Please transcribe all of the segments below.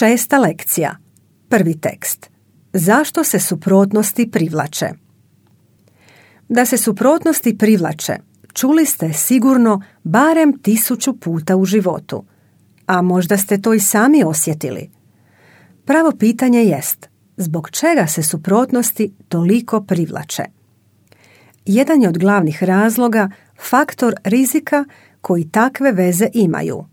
6. lekcija. Prvi tekst. Zašto se suprotnosti privlače? Da se suprotnosti privlače, čuli ste sigurno barem 1000 puta u životu, a možda ste to i sami osjetili. Pravo pitanje jest, zbog čega se suprotnosti toliko privlače? Jedan je od glavnih razloga faktor rizika koji takve veze imaju.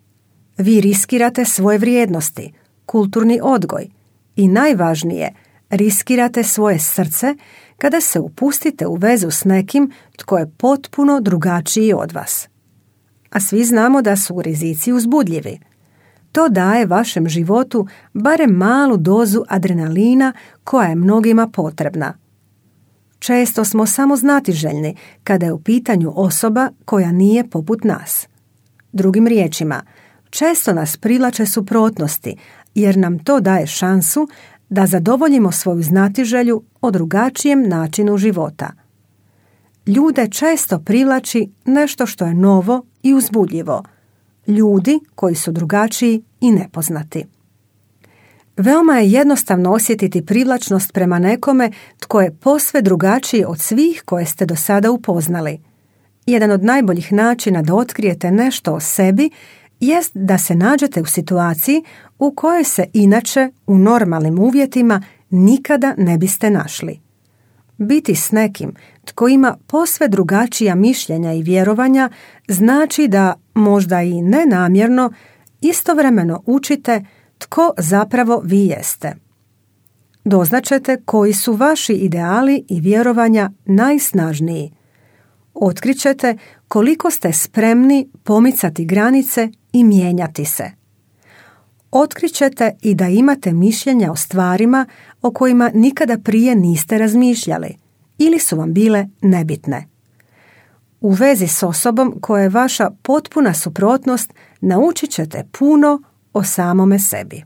Vi riskirate svoje vrijednosti, kulturni odgoj i najvažnije, riskirate svoje srce kada se upustite u vezu s nekim tko je potpuno drugačiji od vas. A svi znamo da su rizici uzbudljivi. To daje vašem životu barem malu dozu adrenalina koja je mnogima potrebna. Često smo samo znatiželjni kada je u pitanju osoba koja nije poput nas. Drugim riječima, često nas privlače suprotnosti jer nam to daje šansu da zadovoljimo svoju znatiželju o drugačijem načinu života. Ljude često privlači nešto što je novo i uzbudljivo. Ljudi koji su drugačiji i nepoznati. Veoma je jednostavno osjetiti privlačnost prema nekome tko je posve drugačiji od svih koje ste do sada upoznali. Jedan od najboljih načina da otkrijete nešto o sebi jest da se nađete u situaciji u kojoj se inače u normalnim uvjetima nikada ne biste našli. Biti s nekim tko ima posve drugačija mišljenja i vjerovanja znači da, možda i nenamjerno, istovremeno učite tko zapravo vi jeste. Doznaćete koji su vaši ideali i vjerovanja najsnažniji. Otkrićete koliko ste spremni pomicati granice i mijenjati se. Otkrićete i da imate mišljenja o stvarima o kojima nikada prije niste razmišljali ili su vam bile nebitne. U vezi s osobom koja je vaša potpuna suprotnost naučit ćete puno o samome sebi.